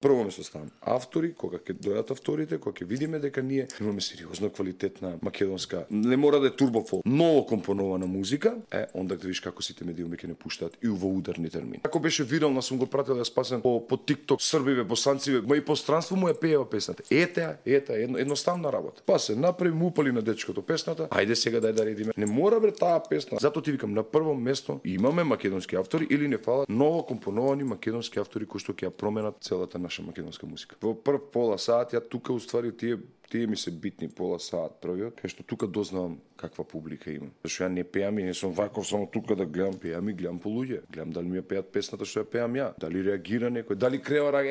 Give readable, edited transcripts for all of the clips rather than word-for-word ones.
Прво место ставам автори, кога ќе дојдат авторите, кога ќе видиме дека ние имаме сериозно квалитетна македонска, не мора да е турбофолк, ново компонована музика, онда да видиш како сите медиуми ќе не пуштаат и во ударни термини. Како беше вирална, сум го пратил да спасен по TikTok, србиве, босанциве, ма и по странство му ја пеева песната. Едноставна работа. Па се направи, му упали на дечкото песната, ајде сега дај да редиме. Не мора бре таа песна. Затоа ти викам, на прво место имаме македонски автори или не фалат ново компоновани македонски автори кои што ќе ја променат целата наша македонска музика. Во прв пола саат, ја тука уствари тие ми се битни пола саат првиот, кај што тука дознавам каква публика имам. Зашто ја не пеам и не сум ваков само тука да гледам, пеам и гледам по луѓе. Гледам дали ми ја пеат песната што ја пеам ја, дали реагира некој, дали крева рак,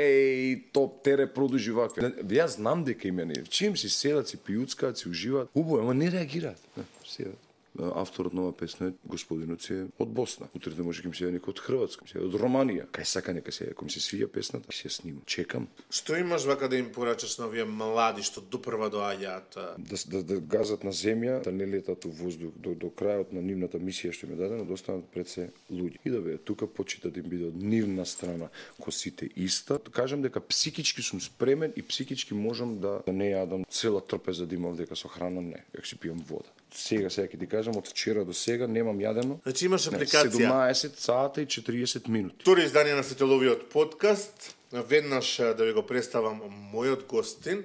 топ тере продужи ваква. Јас знам дека има не. Чим си седат, си пиуцкаат, си уживаат, убаво, ама не реагираат. Седат. Авторот на оваа песна е господинот си од Босна. Утре да може ќе ми се некој од Хрватска, се од Романија. Кај сака нека се, ако ми се свија песната, ќе се снимам. Чекам. Што имаш вака да им порачаш на овие млади што допрва доаѓаат? Да газат на земја, да не летат во воздух до крајот на нивната мисија што им е дадена, да останат пред се луѓе. И да бе, тука почита да им биде од нивна страна косите иста. Кажам дека психички сум спремен и психички можам да не јадам цела трпеза да имам дека со храна не, дека си пијам вода. Сега ќе ти кажам, од вчера до сега немам јадено. Значи имаш апликација. 17 сата и 40 минути. Втори издание на Светеловиот подкаст. Веднаш да ви го представам мојот гостин,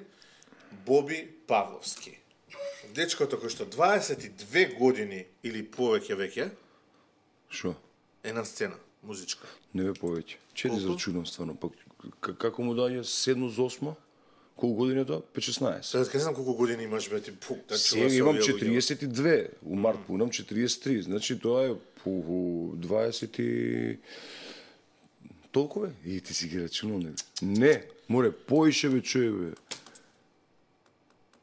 Боби Павловски. Дечкото кој што 22 години или повеќе веќе Шо? Е на сцена, музичка. Не бе повеќе. Чеди зрачунам стварно, пак како му даѓа 7 за 8? Колку години е тоа? 5-16. Сега не знам колку години имаш, бе, ти пук, да чува се имам 42, у март пунам 43, значи тоа е по 20 и... Толку бе? И ти си ги рачунал, не, море, поише бе, чуе бе.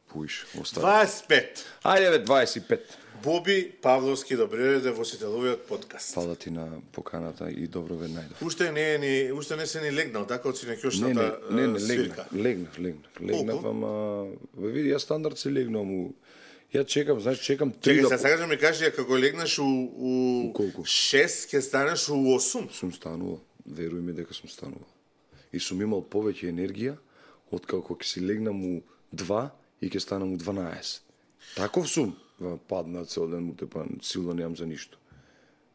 Поише, остави. 25. Ајде бе, 25. Боби Павловски, добре дојде во Светеловиот подкаст. Фала ти на поканата и добро ве најдов. Уште не се ни легнал, така од синекјошната свирка. Легнав, ама види, ја стандард се легнам ја чекам, значи чекам 3 Чекај, сега да ми кажеш, како легнеш у колку? 6, ќе станеш у 8. Сум станувал, веруј ми дека сум станувал. И сум имал повеќе енергија од како ќе си легнам у 2 и ќе станам у 12. Таков сум. Падна цел ден му тепан, силно немам за ништо.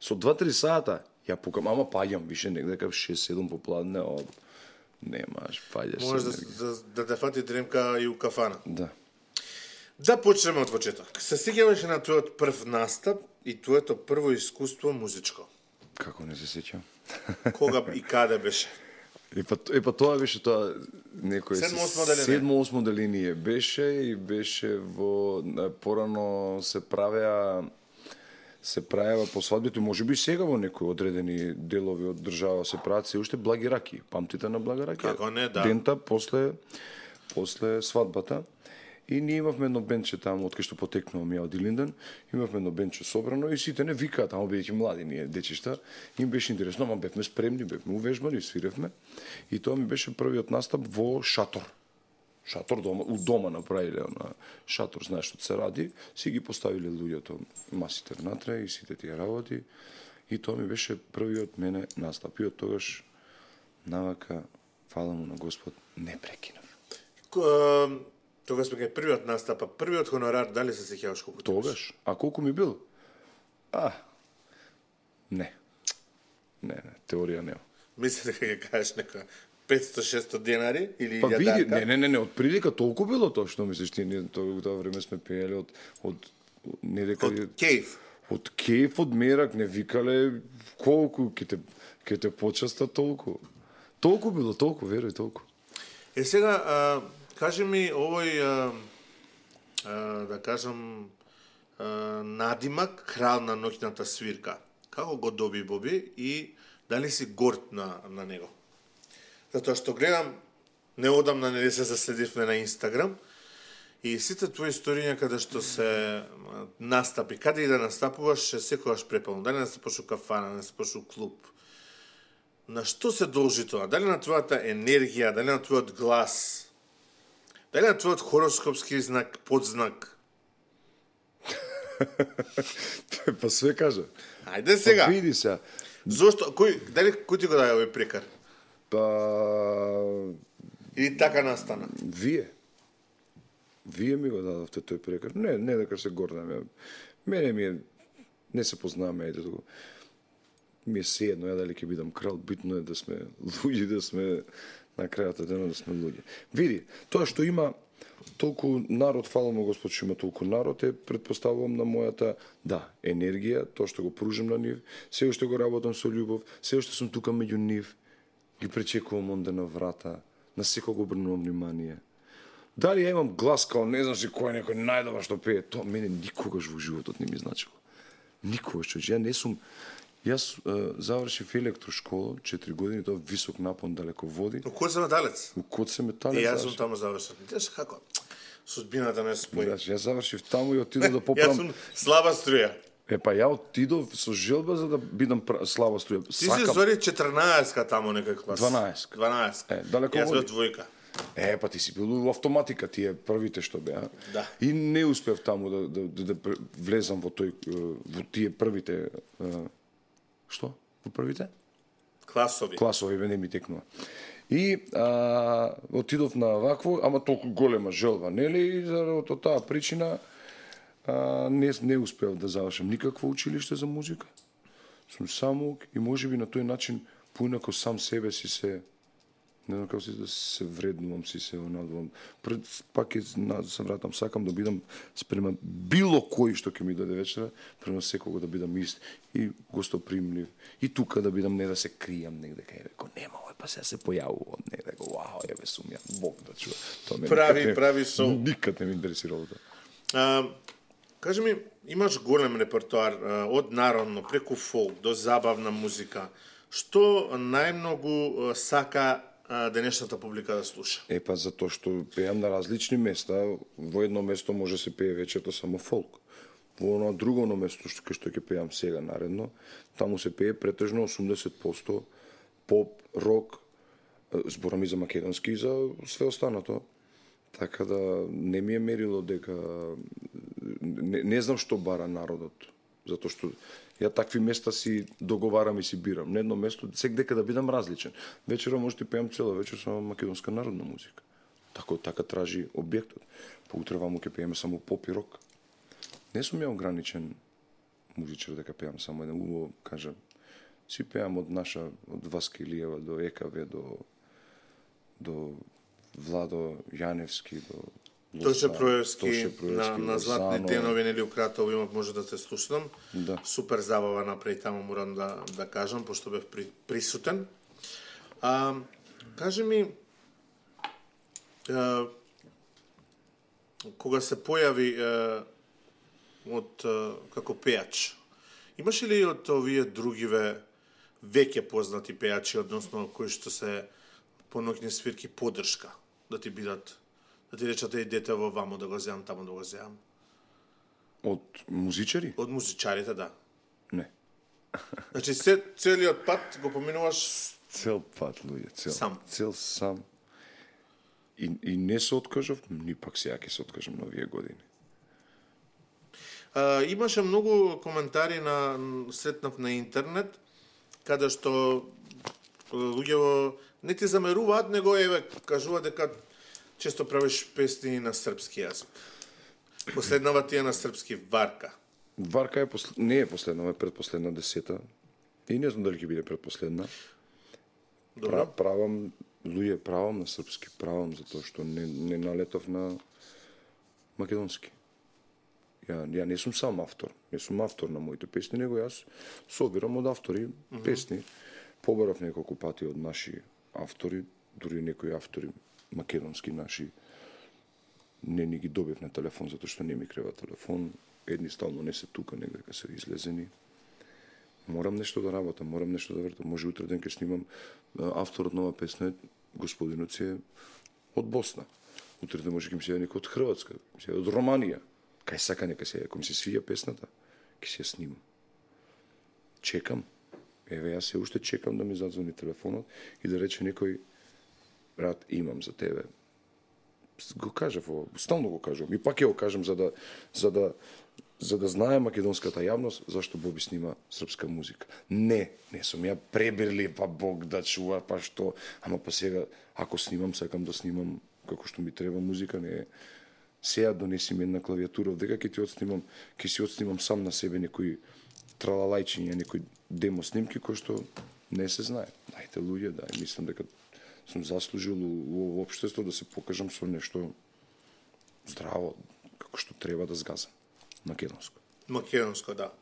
Со 2-3 сата ја пукам, ама паѓам више некако 6-7 попладне, немаш, паѓаш. Можеш да те фати дремка и у кафана. Да. Да почнеме од почеток. Се сеќаваш на твојот прв настап и твоето прво искуство музичко. Како не се сеќам? Кога и каде беше? Па тоа беше тоа некој 7-8 деление беше и беше во порано се правеа по свадбите, можеби сега во некои одредени делови од држава се прават се уште благи раки. Памтите на блага раки? Како не, да. Дента после свадбата. И ние имавме едно бенче таму, од кај што потекнувам ја од Илинден, имавме едно бенче собрано и сите не викаат, таму бидејќи млади ние дечишта, им беше интересно, ама бевме спремни, бевме увежбани, свиревме. И тоа ми беше првиот настап во шатор. Шатор дома, у дома направиле на шатор, знаеш што се ради, си ги поставиле луѓето масите внатре и сите тие работи. И тоа ми беше првиот мене настап. И од тогаш навака, фала му на Господ, не прекинав. Тогаш бе првиот настап, првиот хонорар, дали се сеќаваш колку тогаш? А колку ми бил? Не, теорија нема. Мислите дека ќе кажеш нека 500-600 денари или 1000 па види, дака? не, од прилика толку било тоа што мислиш ти, ние тоа време сме пееле од не дека од кејф. Од кејф, од мерак, не викале колку ќе те почаста толку. Толку било, толку, веруј, толку. Сега кажи ми овој да кажам надимак крал на ноќната свирка. Како го доби Боби и дали си горд на него? Затоа што гледам, неодамна не се заследивме на Инстаграм и сите твои историња каде што се настапи, каде и да настапуваш, секогаш препълно. Дали настапуваш у кафана, настапуваш у клуб. На што се должи тоа? Дали на твојата енергија, дали на твојот глас? Дали на твојот хороскопски знак, подзнак? Па све кажа. Ајде сега. Па види се. Зошто? Кој ти го даде овој прекар? Па Или така настана? Вие ми го дадовте тој прекар. Не дека се гордам. Мене ми е, не се познаваме, ајде туку. Ми е sejedno, ја дали ќе бидам крал, битно е да сме луѓе, да сме на крајот од денот да сме луѓе. Види, тоа што има толку народ, фала му Господ што има толку народ, предпоставувам на мојата, енергија, тоа што го пружам на нив, се уште го работам со љубов, се уште сум тука меѓу нив, ги пречекувам онде на врата, на секој го обрнувам внимание. Дали ја имам глас као не знам си кој некој најдобар што пее, тоа мене никогаш во животот не ми значило. Никогаш, ја не сум. Јас завршив електрошкола, 4 години, тоа висок напон далеко води. У Коце Металец? У Коце Металец. Јас сум таму завршил. Видиш како судбината не спои. Јас завршив таму и отидов да поправам. Јас сум слаба струја. Ја отидов со желба за да бидам слаба струја. Ти си зори 14-ка таму некој клас. 12. Далеко јас води. бев двојка. Па ти си бил во автоматика, тие првите што беа. Да. И не успев таму да влезам во тие првите што? Во првите? Класови не ми текнува. И отидов на вакво, ама толку голема желба, нели? И заради таа причина не успев да завршам никакво училиште за музика. Сум самоук и можеби на тој начин поинако сам себе си се не знам како да се вреднувам, си се онадувам. Пак се вратам, сакам да бидам спрема било кој што ќе ми дојде вечера, према секого да бидам ист и гостопримлив. И тука да бидам, не да се кријам негде кај реко, нема овој, па се појавува од негде, вау, еве сум ја, Бог да чува. Прави шоу. Никад не ми интересирало тоа. Кажи ми, имаш голем репертоар од народно, преку фолк, до забавна музика. Што најмногу сака денешната публика да слуша? Па затоа што пеам на различни места, во едно место може се пее вечерта само фолк. Во оно друго место што ќе пеам сега наредно, таму се пее претежно 80% поп, рок, зборам и за македонски и за све останато. Така да не ми е мерило дека не знам што бара народот, затоа што ја такви места си договарам и си бирам. На едно место секдека да бидам различен. Вечера може да пеам цела вечер само македонска народна музика. Така тражи објектот. Поутре ваму ќе пееме само поп и рок. Не сум ја ограничен музичар дека пеам само еден, убаво кажам. Си пеам од Васка Илиева до ЕКВ до Владо Јаневски до Тоше Проевски на Златни тенови, нели укратово имав може да се слушнам. Да. Супер забава направи таму, морам да кажам, пошто бев присутен. Кажи ми, кога се појави како пеач, имаш ли од овие другиве веќе познати пеачи, односно кои што се по ноќни свирки поддршка, да ти бидат, да ти речат дете во вамо да го земам, таму да го земам? Од музичари? Од музичарите, да. Не. Значи целиот пат го поминуваш Цел пат, луѓе, сам. Цел сам. И не се откажав, ни пак сега ќе се откажам на овие години. Имаше многу коментари сретнав на интернет, каде што луѓе не ти замеруваат, него кажуваат дека често правиш песни на српски јазик. Последнава ти е на српски Варка. Варка не е последна, е предпоследна 10-та. И не знам дали ќе биде предпоследна. Правам на српски, затоа што не налетав на македонски. Ја не сум сам автор, не сум автор на моите песни, него јас собирам од автори песни. Побарав неколку пати од наши автори, дури некои автори македонски наши, не ни ги добив на телефон, затоа што не ми крева телефон. Едни стално не се тука, негде се излезени. Морам нешто да работам, морам нешто да вртам. Може утре ден ке снимам авторот нова песна, господинот си е од Босна. Утре ден може ке ми се некој од Хрватска, се од Романија. Кај сака нека се, ако ми се свија песната, ке се ја снимам. Чекам. Еве, јас се уште чекам да ми задзвони телефонот и да рече некој, брат, имам за тебе го кажав, стално го кажам. И пак ќе го кажам за да знае македонската јавност зашто Боби снима српска музика. Не сум ја пребирли, па Бог да чува, па што, ама па сега ако снимам, сакам да снимам како што ми треба музика, не е сега донеси ми една клавиатура, дека ќе си отснимам сам на себе некои тралалајчиња, некои демо снимки кои што не се знае. Дајте луѓе, мислам дека сум заслужил во општество да се покажам со нешто здраво, како што треба да згазам. Македонско, да.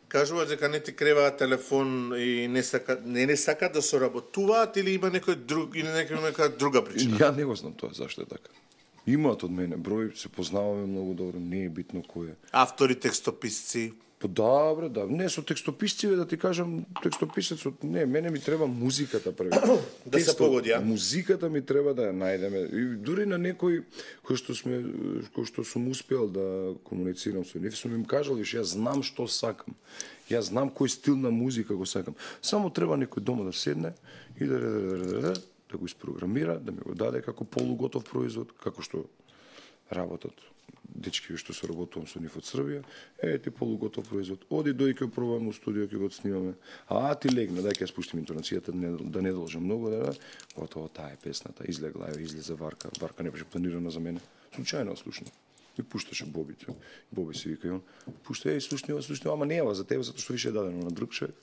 Кажува дека не ти креваат телефон и не сака да соработуваат или има некој друг или нека друга причина? Ја не го знам тоа зашто е така. Имаат од мене број, се познаваме многу добро, не е битно кој е. Автори, текстописци. Добре, да. Не со текстописциве да ти кажам, текстописецот, не, мене ми треба музиката први. Да се погоди, а? Музиката ми треба да ја најдеме. И дури на некој кој што сум успел да комуницирам со нив, сум им кажал, виш, јас знам што сакам. Јас знам кој стил на музика го сакам. Само треба некој дома да седне и да го испрограмира, да ми го даде како полуготов производ, како што работат дечки што се работувам со нив од Србија, ти полуготов производ. Оди дој ќе пробаме во студио, ќе го снимаме. Ти легна, дај ќе ја спуштим интонацијата, да не должам многу, готово, таа е песната, излегла, излезе Варка. Варка не беше планирана за мене. Случајно слушна. И пушташе Боби. Боби се вика и он. Пушта, слушни, ама не е за тебе, затоа што више е дадено на друг човек.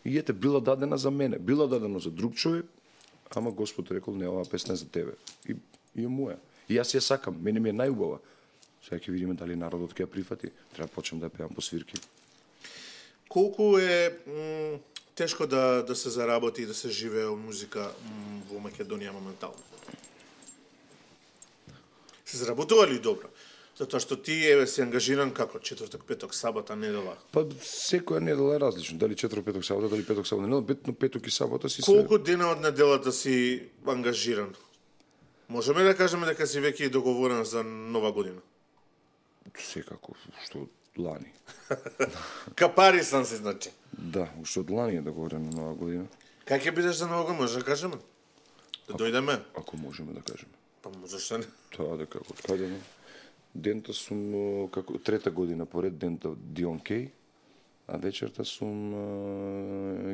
И била дадена за мене, била дадено за друг човек, ама Господ рекол, не, оваа песна е за тебе. И е моја. И јас ја сакам, мене ми е најубава. Сега ќе видиме дали народот ќе ја прифати. Треба почнем да ја пеам по свирки. Колку е тешко да се заработи и да се живее од музика во Македонија моментално? Се заработува ли добро? Затоа што ти си ангажиран како четврток, петок, сабота, недела? Па секоја недела е различно. Дали четврток, петок, сабота, дали петок, сабота, недела, битно петок и сабота си Колку дена од неделата си ангажиран? Можеме да кажеме дека си веќе договорен за нова година? Секако, што од лани. Капари сам се, значи. Да, уште од лани е договорен на нова година. Как ќе бидеш за нова година, може да кажеме? Да дојдеме? Ако можеме да кажеме. Па зашто не? Тоа дека од каде не. Дента сум како трета година поред дента Дион Кей, а вечерта сум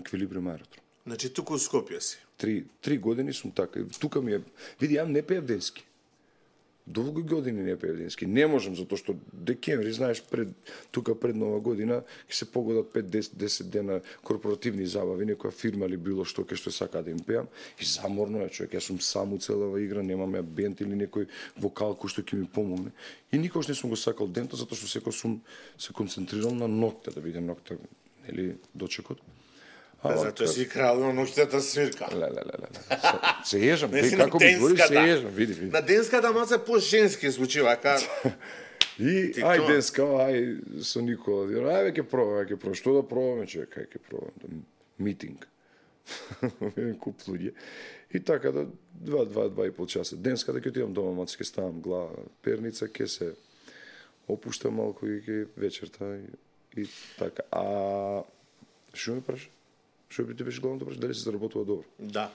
Еквилибриум Аеродром. Значи туку у Скопје си. Три години сум така. Тука ми е... Види, ја не пеев денски. Долго години не пеев денски. Не можам, затоа што декември, знаеш, тука пред нова година ќе се погодат 5-10 дена корпоративни забави, некоја фирма или било што ке што сака да им пеам. И заморно е, човек. Јас сум сам уцелава игра, немам ја бенд или некој вокал кој што ќе ми помогне. И никош не сум го сакал дента, затоа што секој сум се концентрирал на ноќта, да биде ноќта, нели, дочекот. Затоа си крал на ноќната свирка. Се ежам, како ми збори, се ежам, види. На денската маца по-женски звучи вака. И ај денска, ај со Никола, ај ќе пробаме, што да пробаме, човек, ај ќе пробаме, митинг. Куп луѓе. И така да 2,5 часа. Денска да ќе отидам дома, маца ќе ставам глава, перница, ќе се опуштам малку и ќе вечерта и така. Што ме праша? Што би ти беше главното прашање, дали се заработува добро? Да.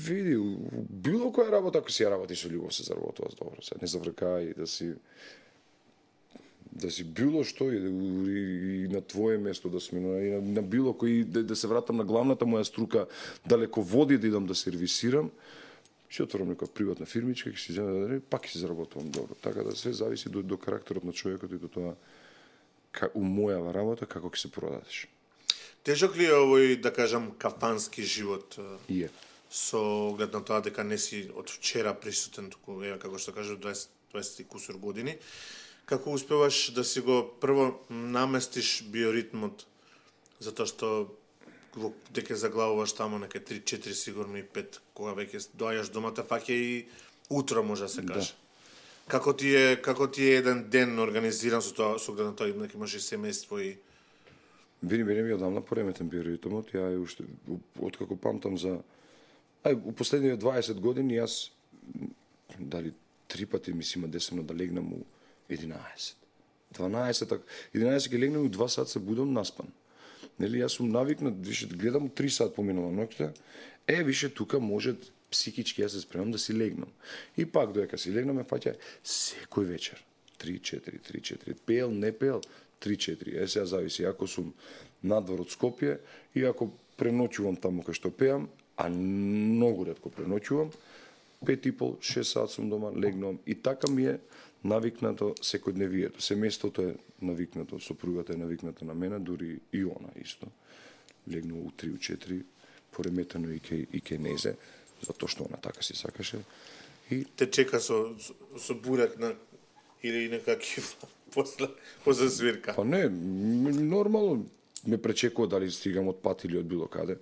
Види, било која работа, ако си ја работи со љубов, се заработува добро. Не завркај да си било што и на твое место да сме, и на било кој, да се вратам на главната моја струка, далеко води да идам да сервисирам, ќе отворам некоја приватна фирмичка, ќе си земе, пак ќе се заработувам добро. Така да се зависи до карактерот на човекот и до тоа у моја работа како ќе се продадеш. Тежок ли е овој, да кажам, кафански живот? Е. Со оглед на тоа дека не си од вчера присутен, туку, како што кажа, 20 и кусур години. Како успеваш да си го прво наместиш биоритмот, затоа што дека заглавуваш тамо неке 3-4 сигурно и 5, кога веќе доаѓаш домата, фаќа и утро може да се каже. Да. Како ти е еден ден организиран со тоа, со оглед на тоа, дека имаш и семејство и Вини ми одамна пореметен биоритмот, ја уште откако памтам за у последниве 20 години јас дали 3 пати ми се има десено да легнам у 11. 11 ќе легнам у 2 сат се будам наспан. Нели јас сум навикнат, више гледам 3 сат поминала ноќта, Више тука може психички јас се спремам да си легнам. И пак додека си легнам ме фаќа секој вечер 3-4, 3-4, пеел, не пеел, 3-4. Сега зависи, ако сум надвор од Скопје и ако преноќувам таму кај што пеам, а многу ретко преноќувам, 5,5-6 сат сум дома, легнувам и така ми е навикнато секојдневието. Семејството е навикнато, сопругата е навикната на мене, дури и она исто. Легнува у 3-4, пореметено и кај незе, затоа што она така си сакаше. И те чека со бурек на или некакив после свирка. Па не, нормално ме пречекува дали стигам од пат или од било каде.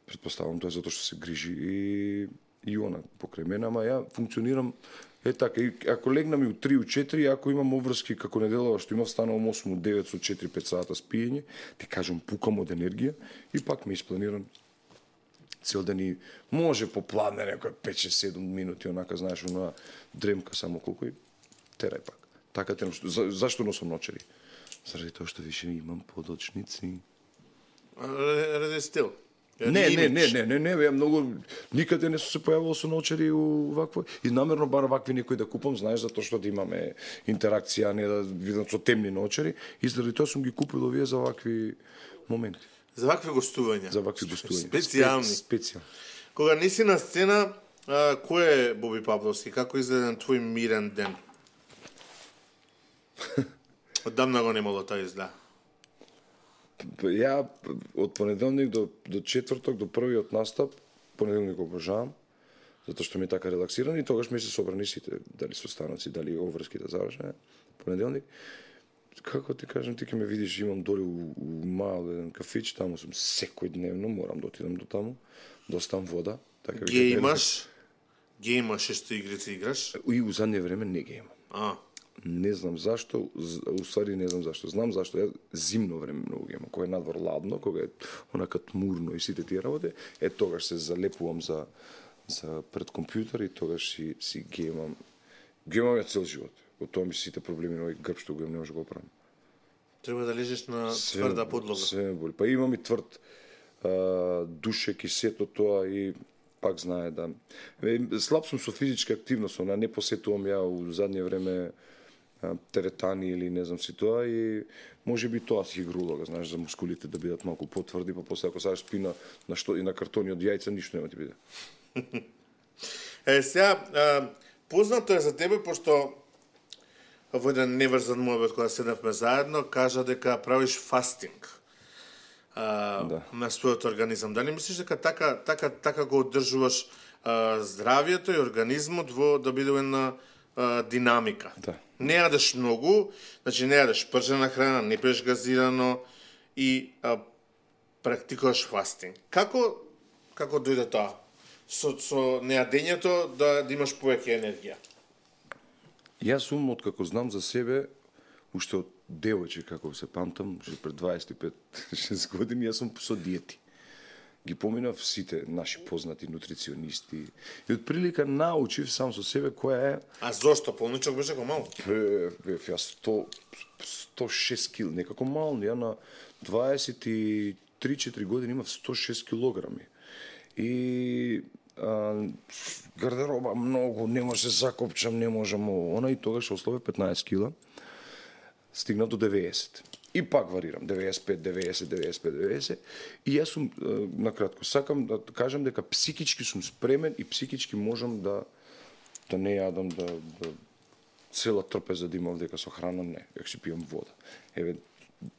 Предпоставам тоа затоа што се грижи и она покрај мене, ама ја функционирам така. И ако легнам и у 3-4, ако имам обврски како неделава што имав, станувам 8-9 со 4-5 сата спиење, ти кажам пукам од енергија и пак ме испланирам цел ден и може попладне некој 5-7 минути, онака знаеш, она дремка само колку и терај пак. Така те зашто носам ночери? Заради тоа што више имам подочници. Ради стил. Не, ја многу никаде не сум се појавувал со ночери вакво и намерно бар вакви некои да купам, знаеш, затоа што да имаме интеракција, не да видам со темни ночери и заради тоа сум ги купил овие за вакви моменти. За вакви гостувања. За вакви гостувања. Специјални. Специјални. Кога не си на сцена, кој е Боби Павловски? Како изгледа твој мирен ден? Оддамна го немало тоа изгледа. Ја од понеделник до четврток, до првиот настап, понеделник го обожавам, затоа што ми е така релаксиран и тогаш ми се собрани сите, дали со станоци, дали обврски да завршеме, понеделник. Како ти кажам, ти ќе ме видиш, имам доли у мал еден кафич, таму сум секојдневно, морам да отидам до таму, да оставам вода. Така Ге имаш шесто игрици играш? И у задње време не ги имам. Не знам зашто, уствари не знам зашто. Знам зашто, ја зимно време многу ги имам, кога е надвор ладно, кога е онака тмурно и сите тие работи, тогаш се залепувам за пред компјутер и тогаш си ги имам. Ги имам ја цел живот. Од тоа ми сите проблеми на овој грб што го имам, не може да го оправам. Треба да лежиш на тврда подлога. Све ме боли. Па имам и тврд душек и сето тоа и пак знае да... Слаб сум со физичка активност, не посетувам ја у задње време теретани или не знам си тоа и може би тоа си игрулога, знаеш, за мускулите да бидат малку потврди, па после ако садиш спина на што и на картони од јајца, ништо нема ти биде. Сега, познато е за тебе, пошто во еден неврзан муабет кога седнавме заедно, кажа дека правиш фастинг на својот организам. Дали мислиш дека така го одржуваш здравието и организмот да биде една динамика? Да. Не јадеш многу, значи не јадеш пржена храна, не пиеш газирано и практикуваш фастинг. Како дојде тоа? Со нејадењето да имаш повеќе енергија? Јас сум, откако знам за себе, уште од девојче, како се памтам, уште пред 25-6 години, јас сум со диети. Ги поминав сите наши познати нутриционисти и од прилика научив сам со себе која е... А зошто? Полничок беше како мал? Јас 106 кил, некако мал, ја на 23-4 години имав 106 килограми. И гардероба многу, не може се закопчам, не можам она и тогаш ослове 15 кила. Стигнав до 90. И пак варирам 95, 90, 95, 90. И јас сум накратко сакам да кажам дека психички сум спремен и психички можам да не јадам да цела трпеза да имам дека со храна не, дека си пијам вода. Еве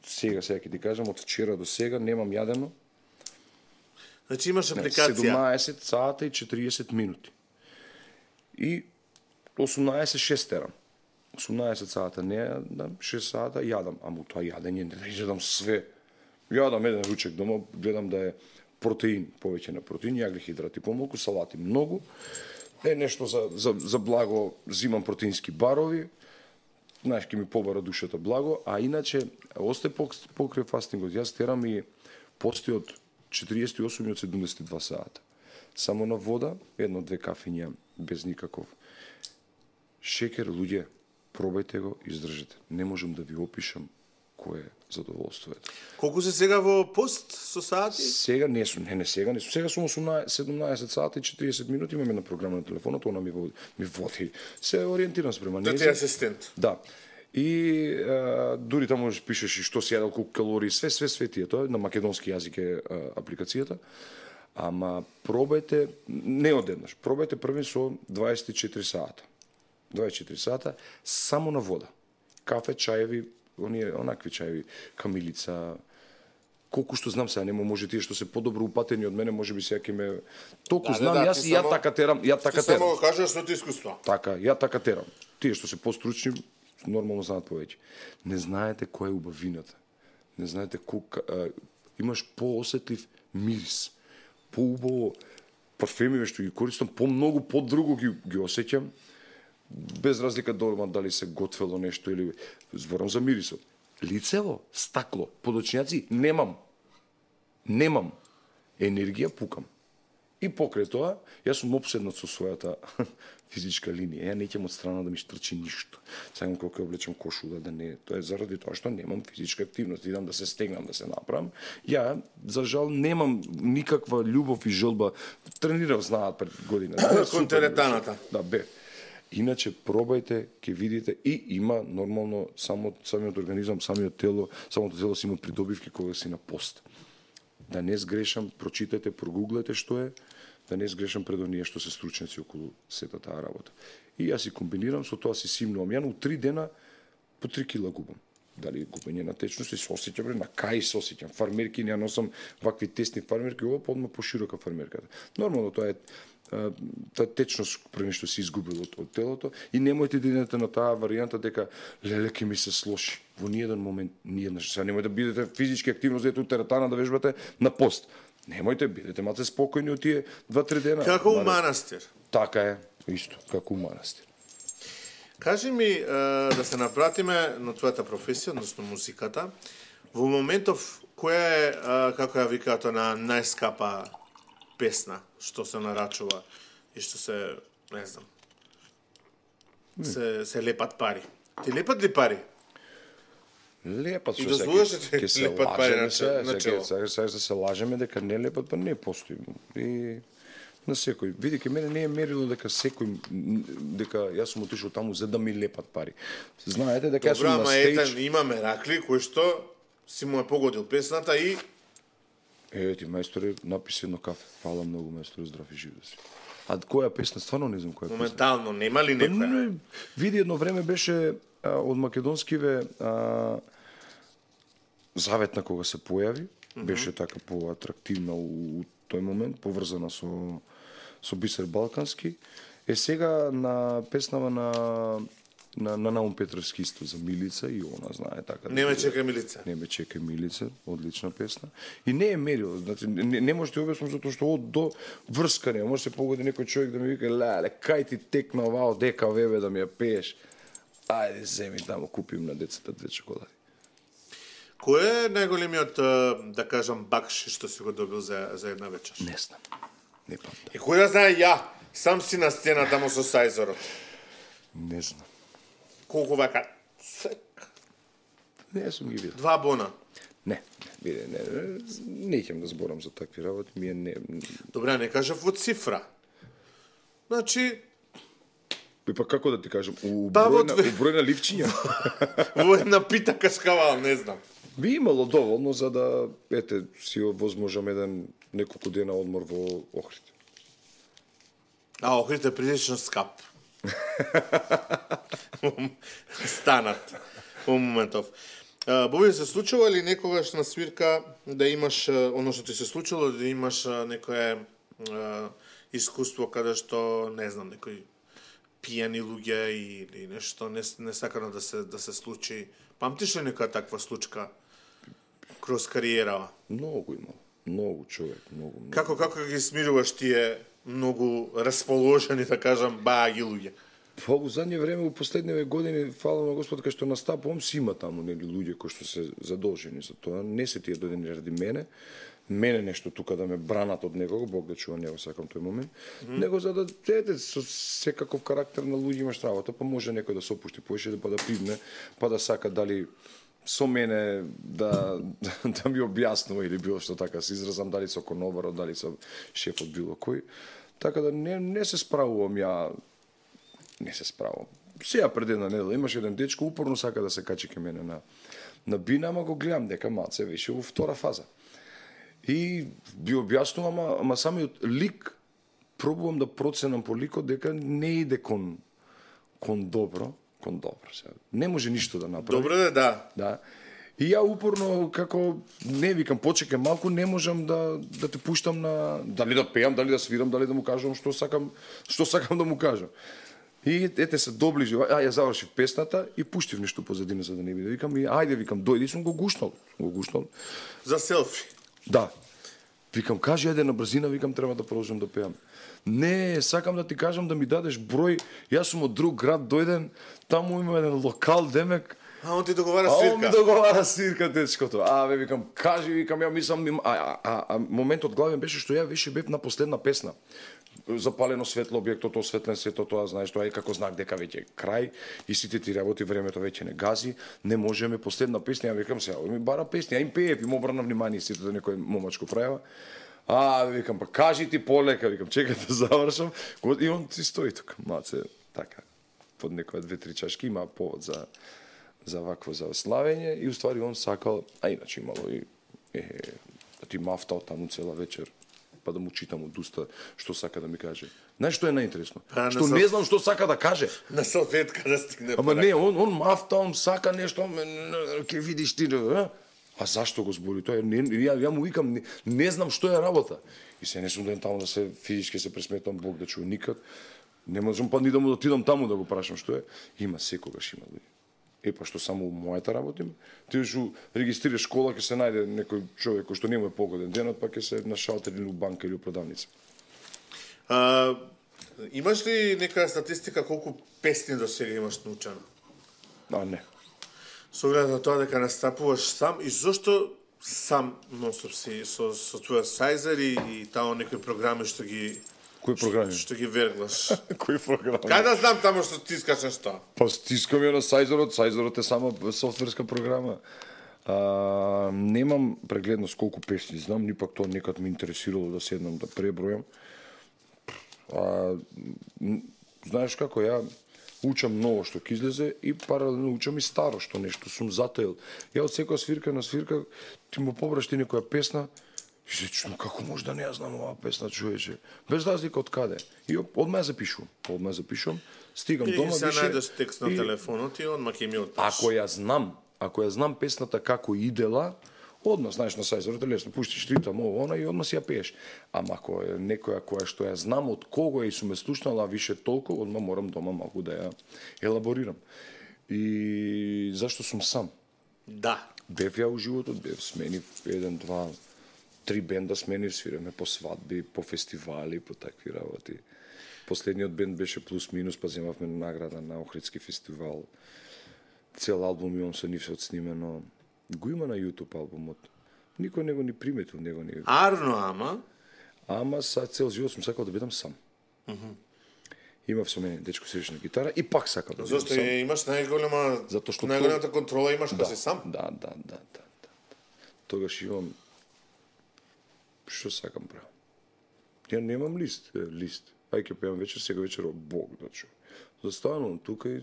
сега ќе ти кажам од вчера до сега немам јадено. Значи имаш апликација 17 сата и 40 минути. И 18-6 терам. 18 сата не јадам, 6 сата јадам, ама тоа јадење не да јадам све. Јадам еден ручек дома, гледам да е протеин, повеќе на протеин, јаглихидрати помалку, салати многу. Нешто за благо, зимам протеински барови, знаеш, ке ми побара душата благо, а иначе, осте покрај фастингот, јас терам и пости од 48 и од 72 сата. Само на вода, 1-2 кафиња, без никаков шекер, луѓе, пробајте го, издржете. Не можам да ви опишам колку е задоволството. Колку се сега во пост со сати? Сега не сум, сега не сум. Сега сум 17 сати и 40 минути, имам една програма на телефонот, она ми води. Се ориентирам спрема неја. Да ти асистент. Да. И дури таму пишеш и што си јадел, колку калории, све тие, тоа на македонски јазик е апликацијата. Ама пробајте, не одеднаш, пробајте први со 24 сата. 24 сата само на вода. Кафе, чаеви, онакви чаеви, камилица, колку што знам сега, нема може тие што се подобро упатени од мене, може би сега ќе ме толку знам, јас и ја така терам. Ти само кажеш своето искуство. Така, ја така терам. Тие што се постручни, нормално знаат повеќе. Не знаете која е убавината. Не знаете колку имаш поосетлив мирис. Поубаво парфеми што ги користам, помногу подруго ги осеќам. Без разлика дали се готвело нешто или зборам за мирисот. Лицево, стакло, подочњаци немам. Немам. Енергија пукам. И покрај тоа, јас сум опседнат со својата физичка линија. Ја неќам од страна да ми штрчи ништо. Сакам кога облечам кошула да не, тоа е заради тоа што немам физичка активност, идам да се стегнам, да се направам. Ја за жал немам никаква љубов и желба. Тренирав, знаат пред година. Кон теретаната. Да, бе. Иначе пробајте, ќе видите и има нормално самиот организам, самото тело си има придобивки кога си на пост. Да не сгрешам, прочитајте, прогуглајте што е, да не сгрешам пред оние што се стручници околу сета таа работа. И јас си комбинирам, со тоа си симнувам. Ја на 3 дена по 3 кила губам. Дали губење на течност и се осеќам, на кај се осеќам. Фармерки, ја носам вакви тесни фармерки, ова подма поширока фармерката. Нормално тоа е таа течност пред нешто се изгубил од телото и немојте да идете на таа варијанта дека леле ќе ми се слоши. Во ниеден момент, сега немојте да бидете физички активно, зете у теретана да вежбате на пост. Немојте, бидете малце спокојни од тие 2-3 дена. Како у манастир. Така е, исто, како у манастир. Кажи ми, да се напратиме на твојата професија, односно музиката. Во моментов, која е, како ја викаат, на најскапа песна што се нарачува и што се, не знам, се лепат пари. Ти лепат ли пари? Лепат и дозволуваш ќе се лепат пари на чело. Сега се лажеме дека не лепат, па не постои. И на секој. Види, ке мене не е мерило дека дека јас сум отишол таму за да ми лепат пари. Знаете дека јас сум на стејдж. Добра, ама имаме ракли кои што си му е погодил песната и ти мајсторе написи едно кафе. Фала многу мајсторе, здрав и жив да си. А која песна, стварно не знам која песна. Моментално нема ли некоја? Види, едно време беше од македонскиве Заветна кога се појави, беше така поатрактивна у тој момент, поврзана со Бисер Балкански. Сега на песнава на Наум Петровски исто за Милица и она знае така. Не ме чекај Милица. Не ме чекај Милица, одлична песна. И не е мерил, значи не може да објаснам затоа што од до врска не може се погоди некој човек да ми вика леле кај ти текна оваа дека вебе да ми ја пееш. Ајде земи таму купим на децата 2 чоколади. Кој е најголемиот, да кажам, бакши што си го добил за една вечер? Не знам. Не памтам. И кој да знае ја, сам си на сцена таму со Сајзорот. Не знам. Колку вака? Не сум ги видел. 2 бона. Не ќе да зборам за такви работи, ми е не. Добре, не кажав во цифра. Значи, па како да ти кажам, у број на ливчиња. Во една пита кашкавал, не знам. Би имало доволно за да си возможам еден неколку дена одмор во Охрид. А Охрид е прилично скап. Станат во моментов. Боби, се случува ли некогаш на свирка да имаш, оно што ти се случило, да имаш некое искуство каде што, не знам, некој пијани луѓе или нешто несакано да се случи? Памтиш ли некоја таква случка кроз кариерава? Многу имал. Многу човек, многу. Како ги смируваш тие многу расположени, да кажам, бааги луѓе? Па во задње време, во последниве години, фала на Господ, кај што настапувам, си има таму нели луѓе кои што се задолжени за тоа. Не се тие дојдени ради мене. Мене нешто тука да ме бранат од некого, Бог да чува, не го сакам тој момент. Него за да со секаков карактер на луѓе имаш работа, па може некој да се опушти поише, па да пивне, па да сака дали со мене да ми објаснува или било што така се изразам, дали со конобарот, дали со шефот било кој. Така да не се справувам ја, не се справувам. Сега пред една недела имаше еден дечко упорно сака да се качи ке мене на бина, ама го гледам дека малце више во втора фаза. И би објаснувам, ама самиот лик пробувам да проценам по ликот дека не иде кон добро. Сега. Не може ништо да направи. Добро да. Да. И ја упорно, како не викам, почекам малку, не можам да те пуштам на дали да пеам, дали да свирам, дали да му кажам што сакам да му кажам. И ете се доближи, ја завршив песната и пуштив нешто позадина за да не биде. Викам и ајде, викам, дојди, сум го гушнал. За селфи. Да. Викам, кажи ајде на брзина, викам, треба да продолжам да пеам. Не, сакам да ти кажам да ми дадеш број. Јас сум од друг град дојден, таму има еден локал демек. А он ти договара свирка. Он ми договара свирка, дечкото. Бе, викам, кажи, викам, ја мислам, моментот главен беше што ја веше бев на последна песна. Запалено светло, објектот осветлен, сето тоа, знаеш, тоа е како знак дека веќе крај и сите ти работи, времето веќе не гази, не можеме, последна песна, ја викам сега, ми бара песна, ја им пеев, им обрна внимание сите да некој момачко правила. Викам, па кажи ти полека, викам, чекај да завршам, и он си стои тука, маце, така, под некоја 2-3 чашки, има повод за вакво славење и уствари он сакал, иначе имало и да ти мафтал таму цела вечер, па да му читам од уста што сака да ми каже. Знаеш што е најинтересно? Што не знам што сака да каже. На салфетка да стигне. Ама не, он мафта, он сака нешто, ќе видиш ти, а зашто го збори тоа? Ја му викам, не знам што е работа. И се не сум доен таму да се физички се пресметам, Бог да чуе никад. Не можам па ни да му отидам таму да го прашам што е. Има, секогаш има. Па што само мојата работим, ти што регистрираш школа, ќе се најде некој човек кој што не му е погоден денот, па ќе се на шалтер или у банка или у продавница. Имаш ли нека статистика колку песни до сега имаш научено? Не. Со оглед на тоа дека настапуваш сам и зошто сам нонстоп си со твоја сайзер и тамо некои програми што ги Кои програми? Што ги верглаш. Кои програми? Кај да знам тамо што стискаш што? Па стискам ја на Сайзерот е само софтверска програма. Немам прегледност колку песни знам, ни пак тоа некад ме интересирало да седнам да пребројам. Знаеш како, ја учам ново што ќе излезе и паралелно учам и старо што нешто сум затаил. Ја од секоја свирка на свирка ти му побрашти некоја песна. И се чудам, како може да не ја знам оваа песна, човече? Без разлика од каде. И одма ја запишувам, стигам дома, и се најдеш текст на телефонот и одма ќе ми отпиш. Ако ја знам песната како идела, одма, знаеш, на Сайзерот е лесно, пуштиш ритам, она и одма си ја пееш. Ама ако е некоја која што ја знам од кого е и сум ја слушнала више толку, одма морам дома малку да ја елаборирам. И зашто сум сам? Да. Бев ја у животот, сменив 1-2 3 бенда сменив, свираме по свадби, по фестивали, по такви работи. Последниот бенд беше Плюс Минус, па земавме награда на Охридски фестивал. Цел албум имам со нив се отснимено. Го има на YouTube албумот. Никој не го ни приметил, не го ни... Арно, Ама са цел живот сум сакал да бидам сам. Имав со мене дечко свириш на гитара и пак сакал да бидам сам. Зошто имаш најголемата контрола имаш кога си сам? Да. Тогаш имам што сакам правам. Ја немам лист. Ај ќе пеам вечер, сега вечер Бог да чу. Застанувам тука и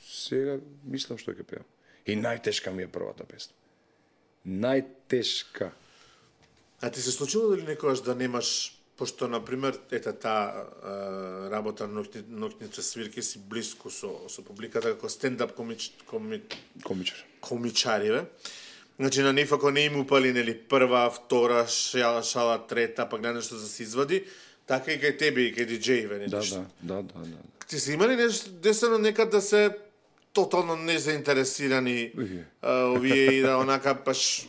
сега мислам што ќе пеам. И најтешка ми е првата песна. Најтешка. А ти се случило дали некогаш да немаш, пошто например таа работа ноќница свирки си блиску со публиката како стендап комичари, Значи на нив ако не им упали нели прва, втора, шала, трета, па гледа нешто да се извади, така и кај тебе и кај диџеиве, нешто. Да. Ти си имали нешто десено некад да се тотално незаинтересирани овие и да онака паш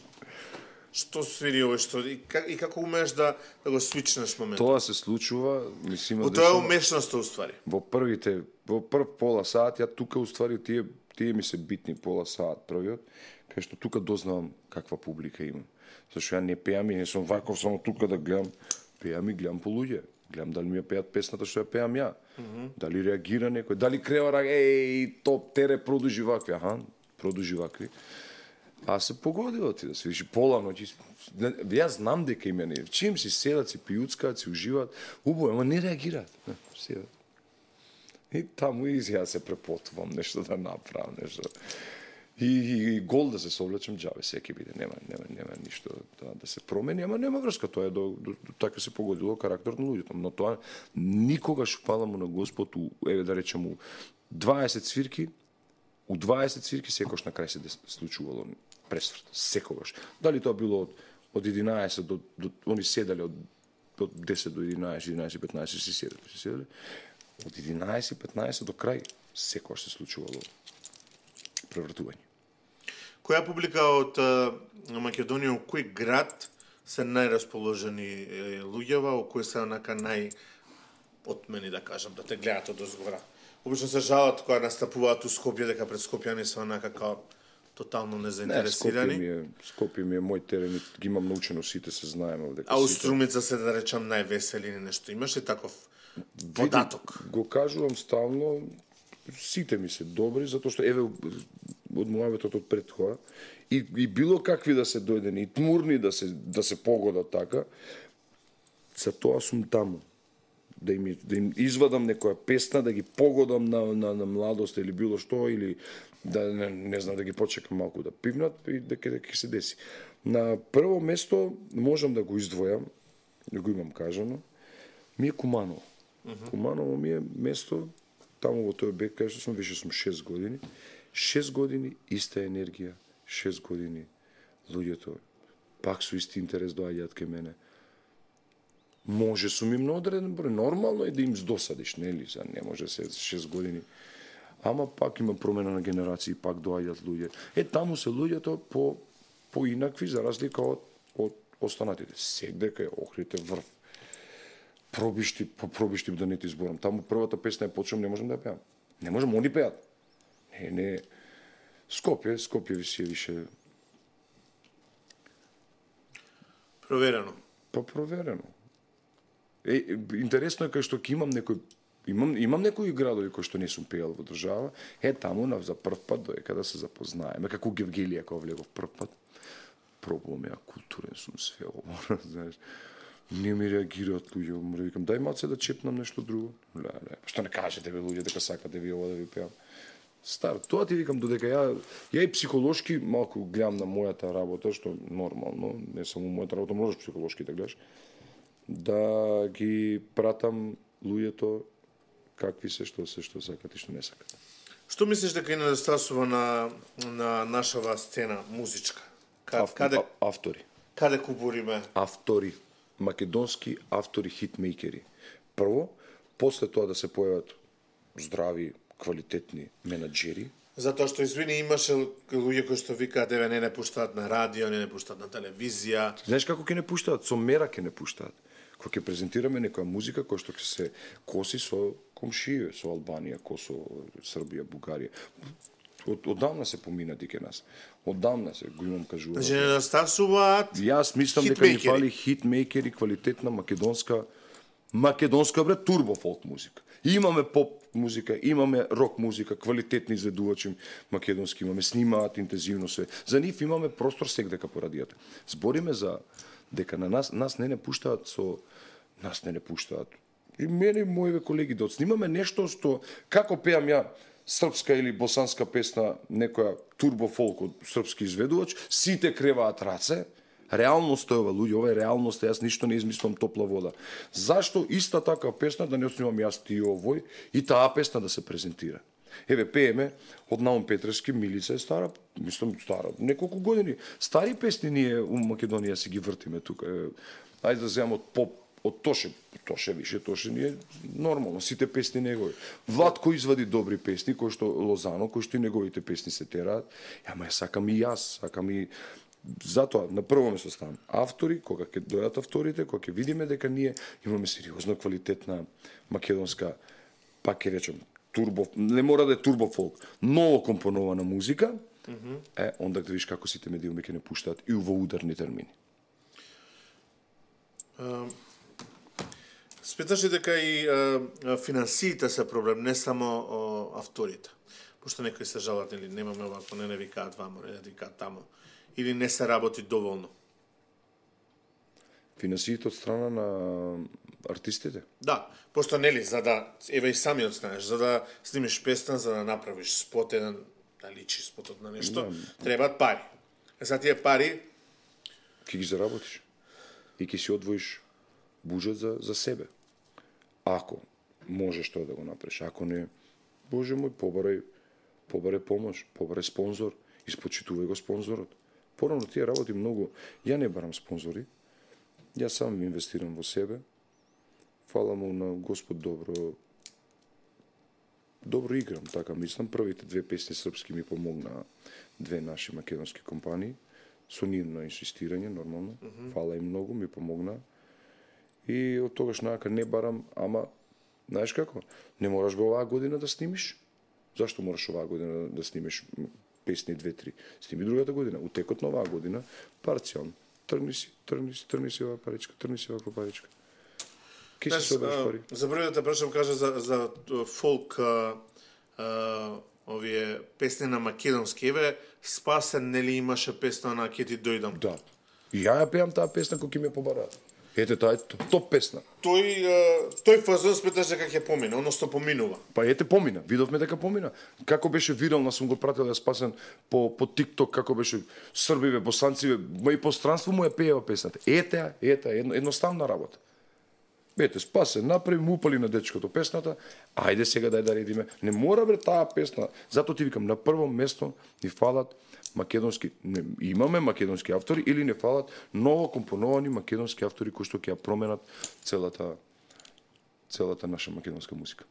што свири овој што и како умееш да го свичнеш моментот. Тоа се случува, мислим да тоа е умешноста уствари. Во прв пола саат ја тука уствари тие ми се битни пола саат првиот, кај што тука дознавам каква публика имам. Зашто ја не пеам и не сум ваков само тука да гледам, пеам и гледам по луѓе. Гледам дали ми ја пеат песната што ја пеам ја. Дали реагира некој, дали крева топ тере продужи вакви, продужи вакви. А се погодило ти да се виши пола ноќи. Јас знам дека има не. Чим си седат, си пијуцкаат, си уживаат, убаво, ама не реагираат. Седат. И таму и јас се препотувам нешто да направам, нешто. И гол да се совлечам џабе, секи биде, нема ништо да се промени, ама нема врска, тоа е до така се погодило карактер на луѓето, но тоа никогаш фала му на Господ, еве да речем, 20 свирки, у 20 свирки секогаш на крај се случувало пресврт, секогаш. Дали тоа било од 11 до они седале од 10 до 11, 11-15 си седале. Од 11-15 до крај секогаш се случувало превртување. Која публика од Македонија, у кој град се најрасположени луѓева, у кој се онака најотмени, да кажам, да те гледат од озгора? Обично се жалат кога настапуваат у Скопје, дека пред скопјани се онака као тотално незаинтересирани. Скопје ми е мој терен, ги имам научено, сите се знаеме. А у Струмица се, да речам, највесели или нешто. Имаш ли таков податок? Го кажувам стално, сите ми се добри, затоа што еве од муабетот од пред тоа и било какви да се дојдени, и тмурни да се погодат така, за тоа сум таму. Да им извадам некоја песна, да ги погодам на младост или било што, или да не знам, да ги почекам малку да пивнат и дека се деси. На прво место можам да го издвојам, да го имам кажано, ми е Куманово. Куманово ми е место, таму во тој бек, кај што сум, више сум 6 години. 6 години иста енергија, 6 години луѓето пак со исти интерес доаѓаат кај мене. Може сум им на одреден број, нормално е да им здосадиш, нели? Не може се 6 години. Ама пак има промена на генерации, пак доаѓаат луѓе. Таму се луѓето по инакви, за разлика од останатите. Секдека е Охрид е врв. Пробишти да не ти изборам. Таму првата песна е почнам, не можам да ја пеам. Не можам, они пеат. Не. Скопје ви си више... Проверено. Проверено. Интересно е кај што ќе имам некои градови кои што не сум пеел во држава, таму за прв пат доека да се запознаеме, како Гевгелија кога влегов прв пат. Пробувам ја, културен сум све ово, знаеш. Не ми реагираат луѓе, мора викам, дај маце да чепнам нешто друго. Што не кажете бе луѓе дека сакате ви ова да ви пеам. Стар, тоа ти викам, додека ја и психолошки малку гледам на мојата работа, што нормално, не само мојата работа, можеш психолошки да гледаш, да ги пратам луѓето какви се, што сакат и што не сакат. Што мислиш дека е недостасува на нашава сцена музичка? Автори. Каде кубуриме? Автори. Македонски автори, хитмейкери. Прво, после тоа да се појават здрави, квалитетни менаџери. Затоа што, извини, имаше луѓе кои што викаат, еве, не пуштаат на радио, не пуштаат на телевизија. Знаеш како ќе не пуштаат? Со мера ќе не пуштаат. Кога ќе презентираме некоја музика која што ќе се коси со комшије, со Албанија, Косово, Србија, Бугарија. Одамна се поминати ке нас. Одамна се, го имам кажувано. Значи недостасуваат Јас мислам дека ни фали хитмейкери, квалитетна македонска бре турбо фолк музика. Имаме поп музика, имаме рок музика, квалитетни изведувачи македонски имаме, снимаат интензивно се. За нив имаме простор секдека по радијата. Збориме за дека на нас не пуштаат И мене и моите колеги да отснимаме нешто што како пеам ја српска или босанска песна, некоја турбо фолк од српски изведувач, сите креваат раце. Реалност е ова, луѓе, ова е реалност, јас ништо не измислам топла вода. Зашто иста така песна да не отснимам јас ти овој и таа песна да се презентира? Еве, пееме од Наум Петревски, Милица е стара, мислам стара, неколку години. Стари песни ние у Македонија си ги вртиме тука. Ајде да земам од поп, од Тоше ни е нормално, сите песни негови. Владко извади добри песни, кои што Лозано, кои што и неговите песни се тераат. Ама сакам и јас, сакам и... Затоа, на прво место ставам автори, кога ќе дојдат авторите, кога ќе видиме дека ние имаме сериозно квалитетна македонска, пак ќе речем, не мора да е турбо фолк, ново компонована музика, онда да видиш како сите медиуми ќе не пуштаат и во ударни термини. Сметаш ли дека и финансиите се проблем, не само авторите? Пошто некои се жалат, или немаме овако, не викаат вамо, не викаат тамо. или не се работи доволно? Финансиите од страна на артистите? Да, пошто нели за да еве и самиот знаеш, за да снимиш песна, за да направиш спот еден, да личи спотот на нешто, требаат пари. За тие пари Ќе ги заработиш и ќе си одвоиш буџет за себе. Ако можеш тоа да го направиш, ако не, Боже мој, побарај помош, побарај спонзор, испочитувај го спонзорот. Порано тие работи многу. Ја не барам спонзори, ја сам инвестирам во себе. Фала му на Господ добро играм, така мислам. Првите две песни српски ми помогнаа две наши македонски компании, со нивно инсистирање, нормално. Фала им многу, ми помогнаа. И од тогаш нака не барам, ама, знаеш како, не мораш го оваа година да снимиш. Зашто мораш оваа година да снимиш песни 2-3? Сними другата година. У текот на оваа година, парцијално. Тргни си оваа паричка, тргни си оваа паричка. Ке си собереш пари. За први да те прашам, кажа за фолк, овие песни на македонски. Еве, Спасен, нели имаше песна на Ке ти дојдам? Да. И ја пеам таа песна кој ме побараат. Ете, таа е топ песна. Тој фазон сметаш дека ќе помине, односно поминува. Па ете помина, видовме дека помина. Како беше вирална, сум го пратил ја Спасен по TikTok, како беше србиве, босанциве, и пространство му ја пеева песната. Ете, едноставна работа. Ете, Спасен, направи му упали на дечкото песната, ајде сега дај да редиме. Не мора бре таа песна. Затоа ти викам, на прво место ни фалат македонски, имаме македонски автори или не фалат ново компоновани македонски автори кои што ќе ја променат целата наша македонска музика.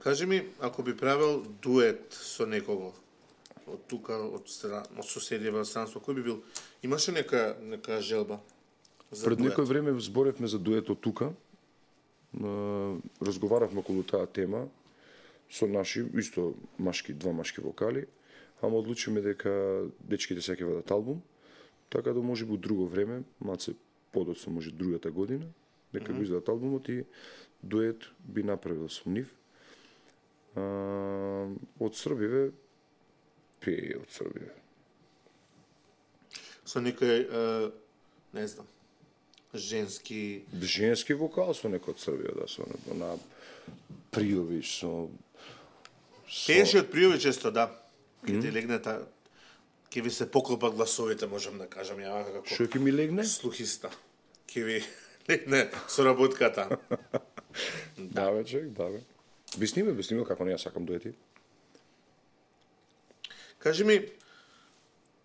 Кажи ми, ако би правил дует со некого од тука, од соседјево странство, кој би бил? Имаше нека желба? Пред некој време зборевме за дуетот тука. Разговаравме околу таа тема со наши, исто два машки вокали, ама одлучиме дека дечките се ќе водат албум, така да може би друго време, малце подоцна, може другата година, дека го издадат албумот и дует би направил со нив. Од Србиве, пее од Србиве. Со некој, не знам, женски вокал со некој од Србија, да, со на Пријович, со Пееше од Пријович често, да. Ке ти легне ке ви се поклопат гласовите, можам да кажам ја како. Што ќе ми легне? Слухиста. Ке ви легне соработката. Да, бе, човек, да, бе. Би снимил, како не ја сакам дуети. Кажи ми,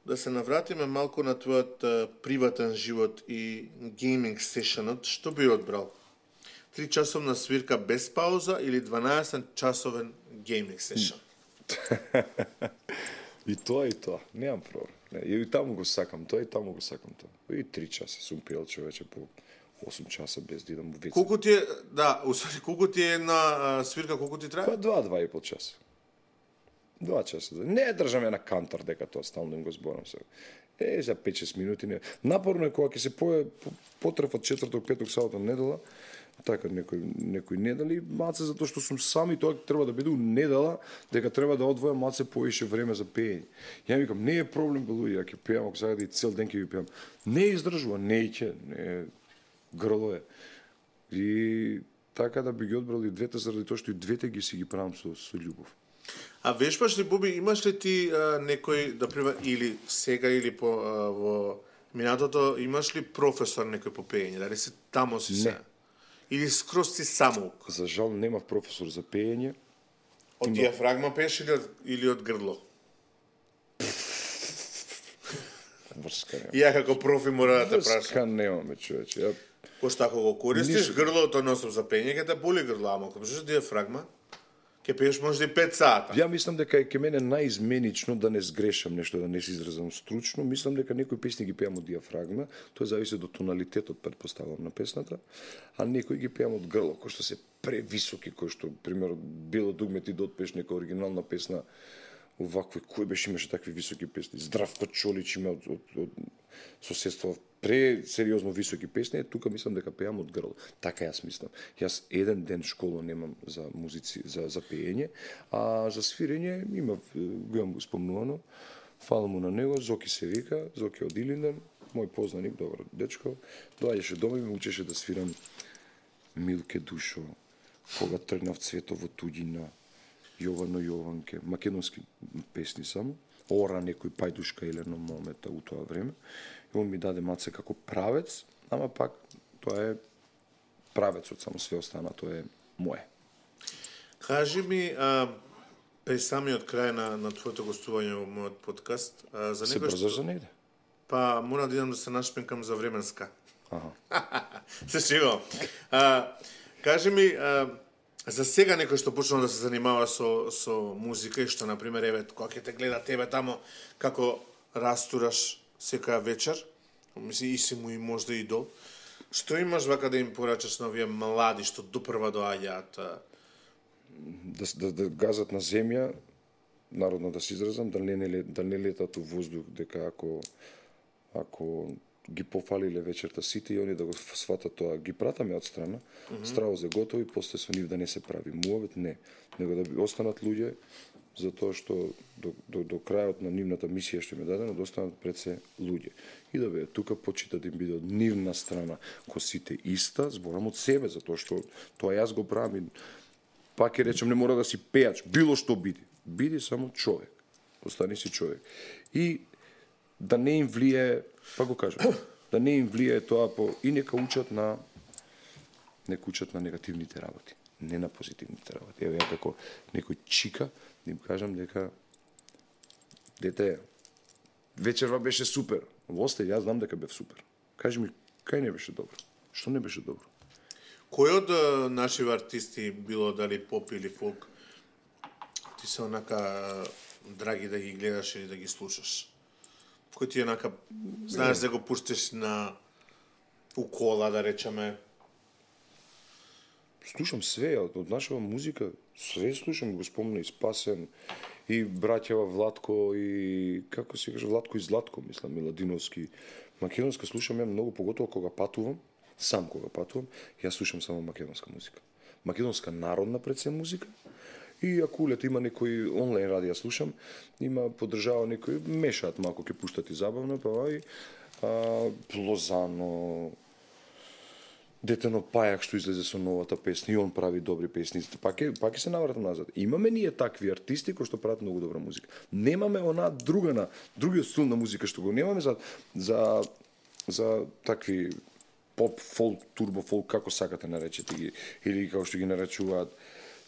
да се навратиме малку на твојот приватен живот и гейминг сешенот, што би одбрал? 3 часовна свирка без пауза или 12 часовен гейминг сешен? И тоа, немам проблем. И таму го сакам тоа, и таму го сакам тоа. И 3 часа сум пиел, човече, по 8 часа без да идам во веце. Колку ти е, да, колку ти е на свирка, колку ти трае? Па 2-2,5 часа. 2 часа. Не држам ја на кантар дека тоа стално им го зборам се. За 5-6 минути не. Напорно е кога ќе се потрефат четврток, петок, сабота, недела, така некои недели, маце затоа што сум сам и тоа треба да биде у недела, дека треба да одвојам маце поише време за пеење. Ја викам, не е проблем бе луѓе, ќе пеам, ако сега да и цел ден ќе ви пеам. Не издржува, не грло е. И така да би ги одбрал и двете, заради тоа што и двете ги си ги правам со љубов. А вешбаш ли, Буби, имаш ли ти некој, да пример, или сега, или во минатото, имаш ли професор некој по пеење? Дали си тамо си се? Или скроз си самоук? За жал немав професор за пеење. Од диафрагма пееш или од грдло? Врска нема. Ја како профи мора да те прашам. Врска немаме, човече. Пошто ако го користиш грлото носом за пеење, ќе те боли грло, ама ако пишеш диафрагма, ќе пееш може и 5 сата. Ја мислам дека е ке мене наизменично да не сгрешам нешто, да не се изразам стручно. Мислам дека некои песни ги пеам од диафрагма, тоа зависи до тоналитетот, претпоставам, на песната, а некои ги пеам од грло, кои што се превисоки, кои што, пример, Бело дугме ти да отпееш нека оригинална песна, овакви, кој беше имаше такви високи песни. Здравко Чолич има од соседство пресериозно високи песни, тука мислам дека пеам од грло. Така јас мислам. Јас еден ден школа немам за музици, за пеење, а за свирење го имам спомнувано. Фала му на него, Зоки се вика, Зоки од Илинден, мој познаник, добар дечко, доаѓаше дома и ме учеше да свирам Милке Душо, Кога тргнав цвето во туѓина, Јовано Јованке, македонски песни само, Ора некој пајдушка или едно момента у тоа време. И он ми даде маце како правец, ама пак тоа е правецот, само све остана, тоа е мое. Кажи ми, при самиот крај на твоето гостување во мојот подкаст, за Се некој брзаш за негде? Па, мора да идам да се нашпинкам за временска. Аха. Се шегувам. Кажи ми, за сега некој што почнува да се занимава со музика и што, например, еве, кога ќе те гледа тебе тамо, како растураш секоја вечер, мисли, и си му и можда идол, што имаш вака да им порачаш на овие млади што допрва доаѓаат? Да газат на земја, народно да се изразам, да не летат у воздух, дека ако ги пофалиле вечерта сите и они да го сватат тоа, ги пратаме од страна, страво за готови, после со нив да не се прави муавет, не, него да останат луѓе, затоа што до крајот на нивната мисија што им е дадено, да останат пред се луѓе. И да бе, тука почита да им биде од нивна страна, ко сите иста, зборам од себе, затоа што тоа јас го правам. Пак ќе речем, не мора да си пејач, било што биди. Биди само човек. Остани си човек. И да не им влие, па го кажам, да не им влие тоа и нека учат на негативните работи, не на позитивните работи. Еве ја како некој чика, да им кажам дека дете, вечерва беше супер. Во остај, јас знам дека бев супер. Кажи ми, кај не беше добро? Што не беше добро? Кој од наши артисти, било дали поп или фолк, ти се онака драги да ги гледаш или да ги слушаш? Кој ти онака, знаеш да го пуштиш на кола, да речеме? Слушам све, од нашава музика, све слушам, го спомна и Спасен, и браќава Владко, и како се каже, Владко и Златко, мислам, Миладиновски. Македонска слушам ја многу, поготово кога патувам, сам кога патувам, јас слушам само македонска музика. Македонска народна пред се музика, и ако улет има некој онлайн радија слушам, има поддржава некој, мешаат малку, ќе пуштат и забавно, па и Лозано, Детено Пајак што излезе со новата песна, и он прави добри песни. Пак ќе се навратам назад. Имаме ние такви артисти кои што прават многу добра музика. Немаме она другиот стил на музика што го немаме за такви поп, фолк, турбо фолк, како сакате наречете ги, или како што ги наречуваат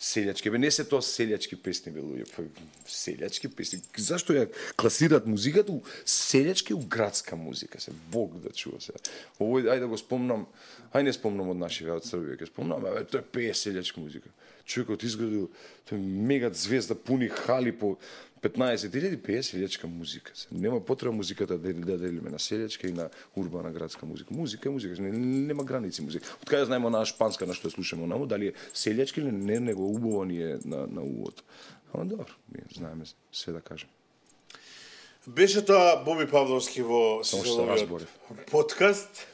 селјачки. Бе, не се тоа селјачки песни, бе, луѓе, селјачки песни. Зашто ја класираат музиката у селјачки, у градска музика, се Бог да чува се. Овој, ајде да го спомнам, не спомнам од нашите од Србија, ќе спомнам, тоа е пее селјачка музика. Човекот изградил, тој мега звезда, пуни хали по 15.000 пее селјачка музика. Нема потреба музиката да делиме на селјачка и на урбана градска музика. Музика е музика, нема граници музика. Од каде знаеме онаа шпанска на што ја слушаме онаму, дали е селјачки или не, него убаво ни е на увод. Ама добро, знаеме све да кажем. Беше тоа Боби Павловски во Сизовиот подкаст.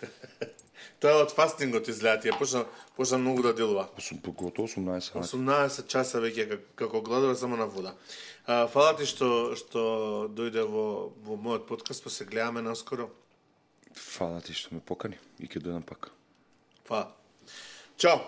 Тоа е од фастингот изгледа, ти почна многу да делува. Готово 18 сати. 18 часа веќе како гладува само на вода. Фала ти што дојде во мојот подкаст, па се гледаме наскоро. Фала ти што ме покани и ќе дојдам пак. Фала. Чао.